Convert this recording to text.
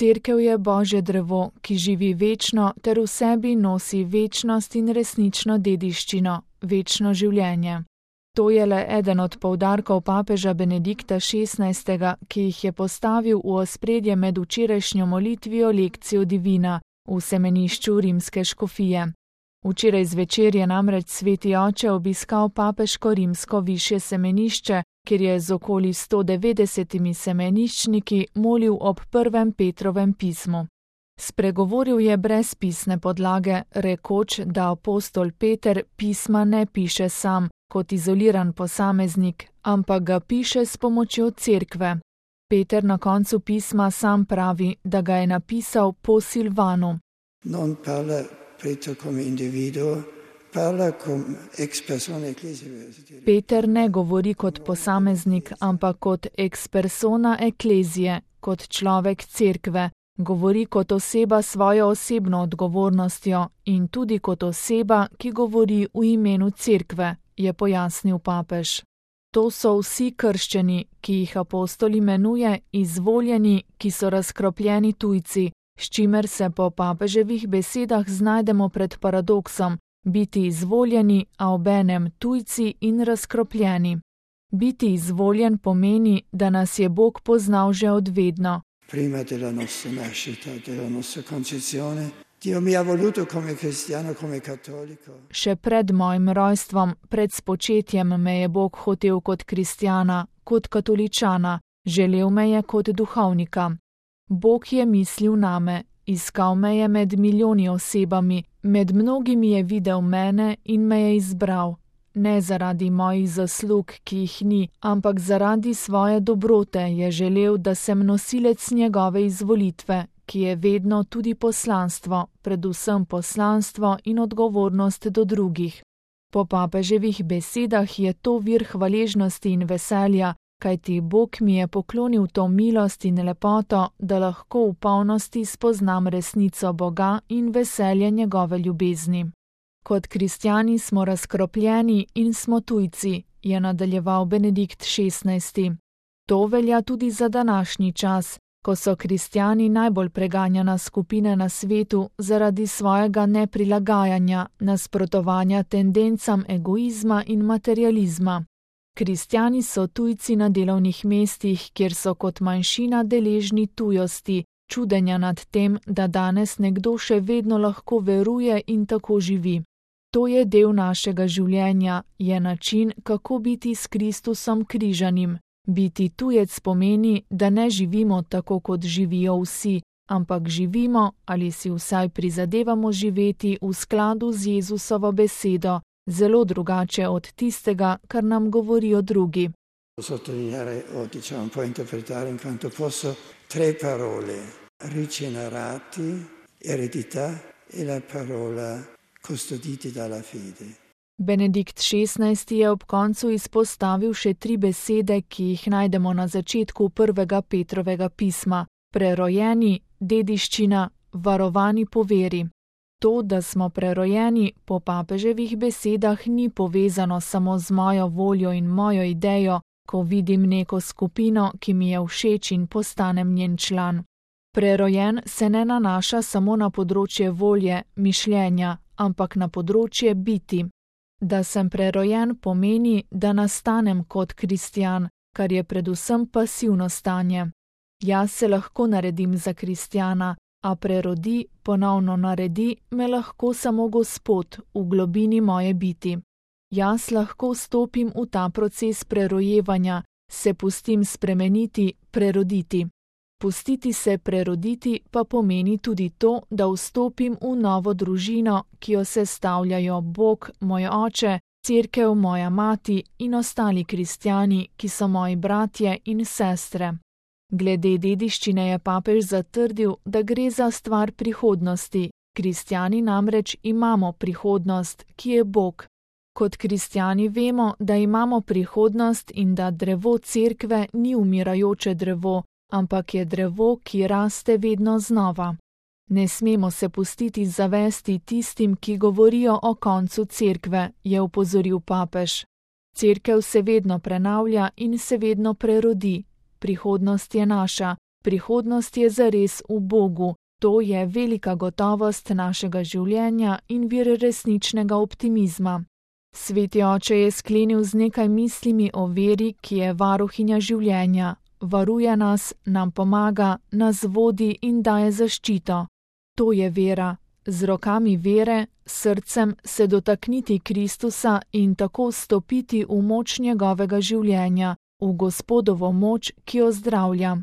Cerkev je Božje drevo, ki živi večno ter v sebi nosi večnost in resnično dediščino, večno življenje. To je le eden od poudarkov papeža Benedikta XVI., ki jih je postavil v ospredje med včerajšnjo molitvijo lekcijo divina v semenišču rimske škofije. Včeraj zvečer je namreč sveti oče obiskal papeško rimsko višje semenišče, kjer je z okoli 190 semeniščniki molil ob prvem Petrovem pismu. Spregovoril je brez pisne podlage, rekoč, da apostol Peter pisma ne piše sam, kot izoliran posameznik, ampak ga piše s pomočjo cerkve. Peter na koncu pisma sam pravi, da ga je napisal po Silvanu. Non parla Peter come individuo, parla come ex persona ecclesia. Peter ne govori kot posameznik, ampak kot ex persona ecclesie, kot človek cerkve, govori kot oseba s svojo osebno odgovornostjo in tudi kot oseba, ki govori v imenu cerkve, je pojasnil papež. To so vsi krščeni, ki jih apostol imenuje izvoljeni, ki so razkropljeni tujci, s čimer se po papeževih besedah znajdemo pred paradoksom, biti izvoljeni, a obenem tujci in razkropljeni. Biti izvoljen pomeni, da nas je Bog poznal že od vedno. Prima della nostra nascita, della nostra concezione, Dio mi ha voluto come cristiano, come cattolico. Še pred mojim rojstvom, pred spočetjem me je Bog hotel kot kristjana, kot katoličana, želel me je kot duhovnika. Bog je mislil name, iskal me je med milijoni osebami, med mnogimi je videl mene in me je izbral. Ne zaradi mojih zaslug, ki jih ni, ampak zaradi svoje dobrote je želel, da sem nosilec njegove izvolitve, ki je vedno tudi poslanstvo, predvsem poslanstvo in odgovornost do drugih. Po papeževih besedah je to vir hvaležnosti in veselja, kajti Bog mi je poklonil to milost in lepoto, da lahko v polnosti spoznam resnico Boga in veselje njegove ljubezni. Kot kristjani smo razkropljeni in smo tujci, je nadaljeval Benedikt XVI. To velja tudi za današnji čas, ko so kristjani najbolj preganjana skupina na svetu zaradi svojega neprilagajanja, nasprotovanja tendencam egoizma in materializma. Kristjani so tujci na delovnih mestih, kjer so kot manjšina deležni tujosti, čudenja nad tem, da danes nekdo še vedno lahko veruje in tako živi. To je del našega življenja, je način, kako biti s Kristusom križanim. Biti tujec pomeni, da ne živimo tako, kot živijo vsi, ampak živimo ali si vsaj prizadevamo živeti v skladu z Jezusovo besedo, zelo drugače od tistega, kar nam govorijo drugi. Sottolineare o un po' interpretare in quanto posso 3 parole: rigenerati, eredità e la parola custoditi dalla fede. Benedikt XVI. Je ob koncu izpostavil še 3 besede, ki jih najdemo na začetku prvega Petrovega pisma: prerojeni, dediščina, varovani po veri. To, da smo prerojeni, po papeževih besedah ni povezano samo z mojo voljo in mojo idejo, ko vidim neko skupino, ki mi je všeč in postanem njen član. Prerojen se ne nanaša samo na področje volje, mišljenja, ampak na področje biti. Da sem prerojen pomeni, da nastanem kot kristjan, kar je predvsem pasivno stanje. Jaz se lahko naredim za kristjana, a prerodi, ponovno naredi me lahko samo Gospod v globini moje biti. Jaz lahko stopim v ta proces prerojevanja, se pustim spremeniti, preroditi. Pustiti se preroditi pa pomeni tudi to, da vstopim v novo družino, ki jo sestavljajo Bog, moj oče, cerkev, moja mati in ostali kristjani, ki so moji bratje in sestre. Glede dediščine je papež zatrdil, da gre za stvar prihodnosti. Kristjani namreč imamo prihodnost, ki je Bog. Kot kristjani vemo, da imamo prihodnost in da drevo cerkve ni umirajoče drevo, ampak je drevo, ki raste vedno znova. Ne smemo se pustiti zavesti tistim, ki govorijo o koncu cerkve, je opozoril papež. Cerkev se vedno prenavlja in se vedno prerodi. Prihodnost je naša, Prihodnost je zares v Bogu. To je velika gotovost našega življenja in vir resničnega optimizma. Sveti oče je sklenil z nekaj mislimi o veri, ki je varuhinja življenja. Varuje nas, nam pomaga, nas vodi in daje zaščito. To je vera. Z rokami vere, srcem se dotakniti Kristusa in tako vstopiti v moč njegovega življenja, v Gospodovo moč, ki jo zdravlja.